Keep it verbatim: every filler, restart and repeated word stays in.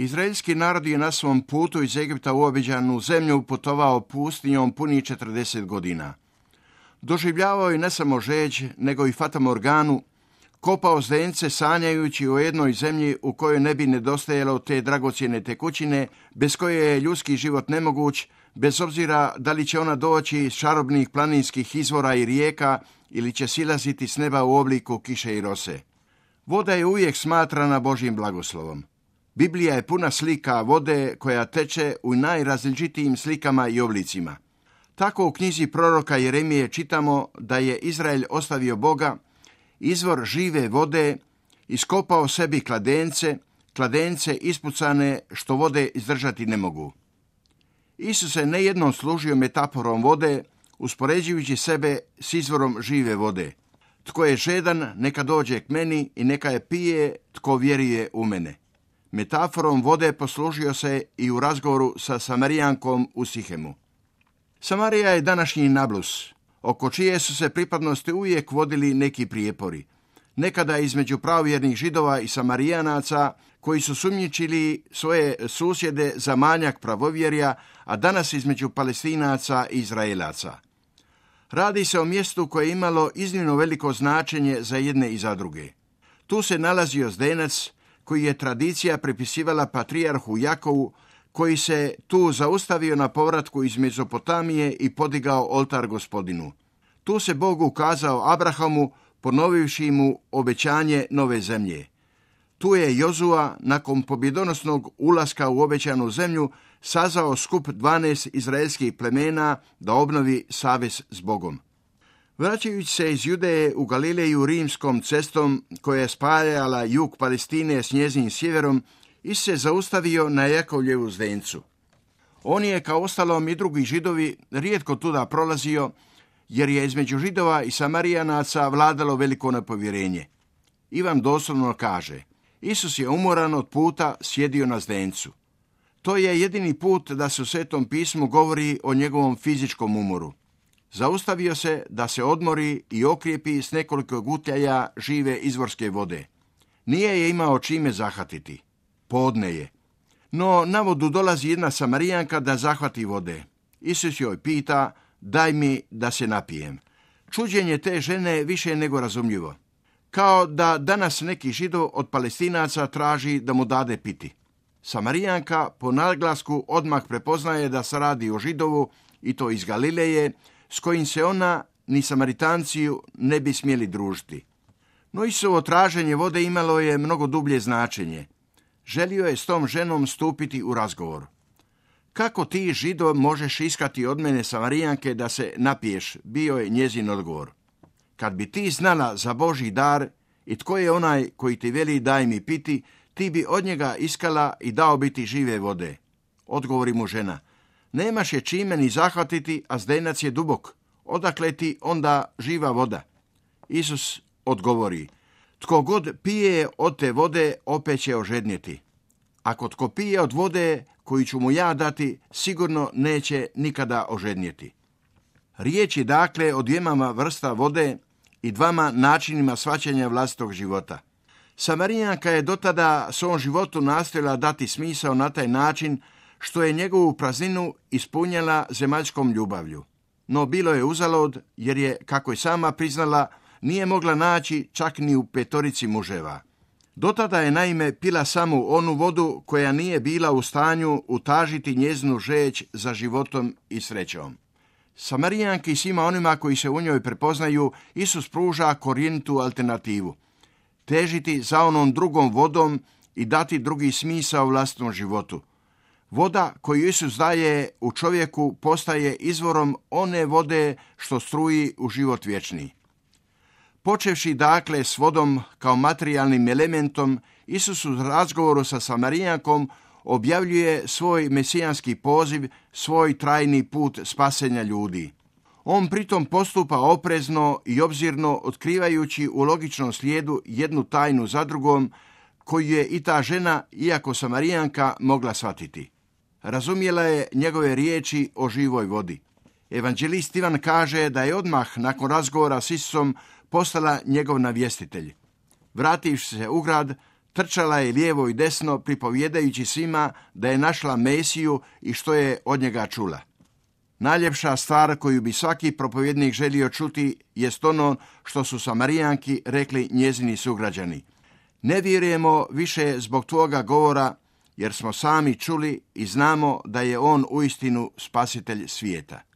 Izraelski narod je na svom putu iz Egipta u obećanu zemlju putovao pustinjom punih četrdeset godina. Doživljavao je ne samo žeđ, nego i fatamorganu, kopao zdence sanjajući o jednoj zemlji u kojoj ne bi nedostajalo te dragocjene tekućine, bez koje je ljudski život nemoguć, bez obzira da li će ona doći iz čarobnih planinskih izvora i rijeka ili će silaziti s neba u obliku kiše i rose. Voda je uvijek smatrana Božjim blagoslovom. Biblija je puna slika vode koja teče u najrazličitijim slikama i oblicima. Tako u knjizi proroka Jeremije čitamo da je Izrael ostavio Boga, izvor žive vode, iskopao sebi kladence, kladence ispucane što vode izdržati ne mogu. Isus se nejednom služio metaforom vode, uspoređujući sebe s izvorom žive vode. Tko je žedan, neka dođe k meni i neka je pije, tko vjeruje u mene. Metaforom vode poslužio se i u razgovoru sa Samarijankom u Sihemu. Samarija je današnji Nablus, oko čije su se pripadnosti uvijek vodili neki prijepori. Nekada između pravovjernih Židova i Samarijanaca, koji su sumnjičili svoje susjede za manjak pravovjerja, a danas između Palestinaca i Izraelaca. Radi se o mjestu koje je imalo iznimno veliko značenje za jedne i za druge. Tu se nalazio zdenac koji je tradicija pripisivala patrijarhu Jakovu, koji se tu zaustavio na povratku iz Mezopotamije i podigao oltar Gospodinu. Tu se Bog ukazao Abrahamu, ponovivši mu obećanje nove zemlje. Tu je Jozua, nakon pobjedonosnog ulaska u obećanu zemlju, sazvao skup dvanaest izraelskih plemena da obnovi savez s Bogom. Vraćajući se iz Judeje u Galileju rimskom cestom koja je spajala jug Palestine s njezinim sjeverom, Isus se zaustavio na Jakovljevu zdencu. On je, kao ostalom i drugi Židovi, rijetko tuda prolazio, jer je između Židova i Samarijanaca vladalo veliko nepovjerenje. Ivan doslovno kaže: Isus je umoran od puta sjedio na zdencu. To je jedini put da se u Svetom pismu govori o njegovom fizičkom umoru. Zaustavio se da se odmori i okrijepi s nekoliko gutljaja žive izvorske vode. Nije je imao čime zahvatiti. Podne je. No na vodu dolazi jedna Samarijanka da zahvati vode. Isus joj pita: daj mi da se napijem. Čuđenje te žene više nego razumljivo. Kao da danas neki Židov od Palestinaca traži da mu dade piti. Samarijanka po naglasku odmah prepoznaje da se radi o Židovu, i to iz Galileje, s kojim se ona ni Samaritanci ne bi smjeli družiti. No Isusovo traženje vode imalo je mnogo dublje značenje. Želio je s tom ženom stupiti u razgovor. Kako ti, Židov, možeš iskati od mene, Samarijanke, da se napiješ, bio je njezin odgovor. Kad bi ti znala za Božji dar i tko je onaj koji ti veli daj mi piti, ti bi od njega iskala i dao bi ti žive vode. Odgovori mu žena: nemaš je čime ni zahvatiti, a zdenac je dubok. Odakle ti onda živa voda? Isus odgovori: tko god pije od te vode, opet će ožednjeti. Ako tko pije od vode koju ću mu ja dati, sigurno neće nikada ožednjeti. Riječ je dakle o dvijema vrsta vode i dvama načinima shvaćanja vlastitog života. Samarijanka je dotada svom životu nastojala dati smisao na taj način što je njegovu prazninu ispunjala zemaljskom ljubavlju. No bilo je uzalud, jer je, kako je sama priznala, nije mogla naći čak ni u petorici muževa. Dotada je naime pila samo onu vodu koja nije bila u stanju utažiti njezinu žeđ za životom i srećom. Samarijanki i svima onima koji se u njoj prepoznaju, Isus pruža korjenitu alternativu. Težiti za onom drugom vodom i dati drugi smisao vlastitom životu. Voda koju Isus daje u čovjeku postaje izvorom one vode što struji u život vječni. Počevši dakle s vodom kao materijalnim elementom, Isus u razgovoru sa Samarijankom objavljuje svoj mesijanski poziv, svoj trajni put spasenja ljudi. On pritom postupa oprezno i obzirno, otkrivajući u logičnom slijedu jednu tajnu za drugom, koju je i ta žena, iako Samarijanka, mogla shvatiti. Razumjela je njegove riječi o živoj vodi. Evanđelist Ivan kaže da je odmah nakon razgovora s Isusom postala njegov navjestitelj. Vrativši se u grad, Trčala je lijevo i desno, pripovjedajući svima da je našla Mesiju i što je od njega čula. Najljepša stvar koju bi svaki propovjednik želio čuti jest ono što su Samarijanki rekli njezini sugrađani. Ne vjerujemo više zbog tvoga govora, jer smo sami čuli i znamo da je on uistinu spasitelj svijeta.